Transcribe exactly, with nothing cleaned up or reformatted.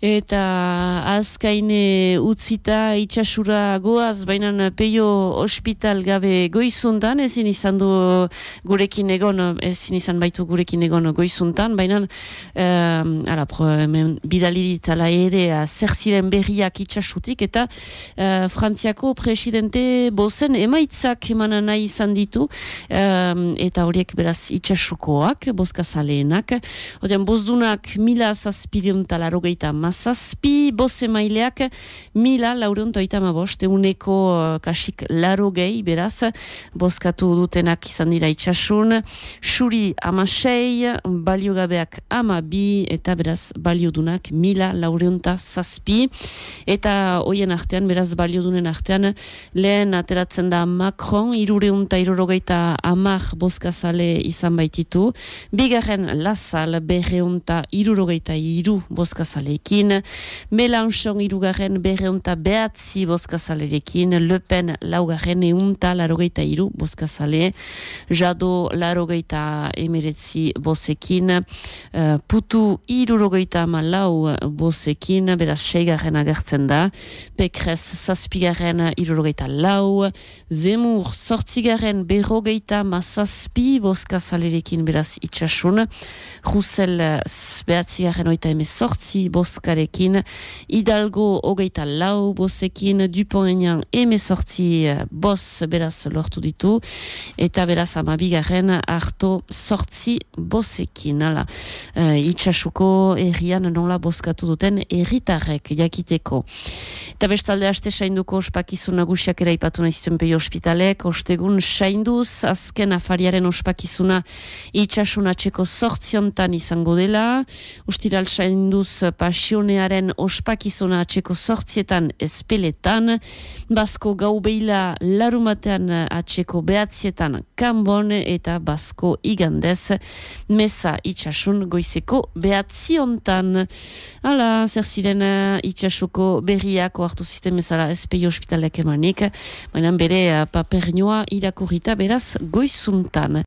Eta azkaine utzita itxasura goaz, baina peio ospital gabe goizuntan, ezin izan du gurekin egon, ezin izan baitu gurekin egon goizuntan, baina um, ara, pro, hemen bidali ditala ere zer ziren berriak itxasutik, eta uh, Frantziako presidente bozen emaitzak eman nahi izan ditu, um, eta horiek beraz itxasukoak, bozkazaleenak, odean bozdunak mila zazpideun talarrogeita mazazpi, boze maileak mila laureun toita mabost, euneko uh, kasik laro gehi, beraz, bozkatu dutenak izan dira itxasun, xuri amasei, baliogabeak ama bi, eta beraz, baliodunak mila laureunta zazpi, eta hoien artean, beraz, baliodunen artean, lehen ateratzen da Macron, irureunta irurogeita amak bozkazale izan baititu, bigarren Lasal, berreunta irurogeita iru bozkazaleekin, Mélenchon irugarren berreunta behatzi bozkazalerekin, Le Pen laugarren eunta larogeita iru bozkazale, Jado larogeita emeretzi bozekin, uh, Putu irurogeita malau bozekin, beraz seigarren agertzen da, Pécresse zazpigarren irurogeita lau, Zemmour sortzigarren berrogeita mazazpi bozkazalerekin beraz itxasun, Roussel behatzigarren oita eme sortzi bozkarekin, Hidalgo hogeita lau bozekin, Dupont-Aignan eme sortzi boz beraz lortu ditu, eta beraz amabigarren harto sortzi bozekin. Hala, uh, itxasuko errian nola bozkatu duten erritarrek jakiteko. Eta bestalde haste sainduko ospakizun nagusiak ere ipatu nahiztuen peio ospitalek, ostegun sainduz, azken afariaren ospakizuna itxasun atxeko sortziontan izango dela, ustiral sainduz pasionearen ospakizuna atxeko sortzietan espeletan, Basko gaubeila larumatean atxeko behatzietan kanbon, eta Basko igandez meza itxasun goizeko behatziontan. Hala, zer ziren itxasuko berriako hartu zisten bezala ezpeio ospitalek emanik, baina bere papernioa irakurrita beraz goizuntan.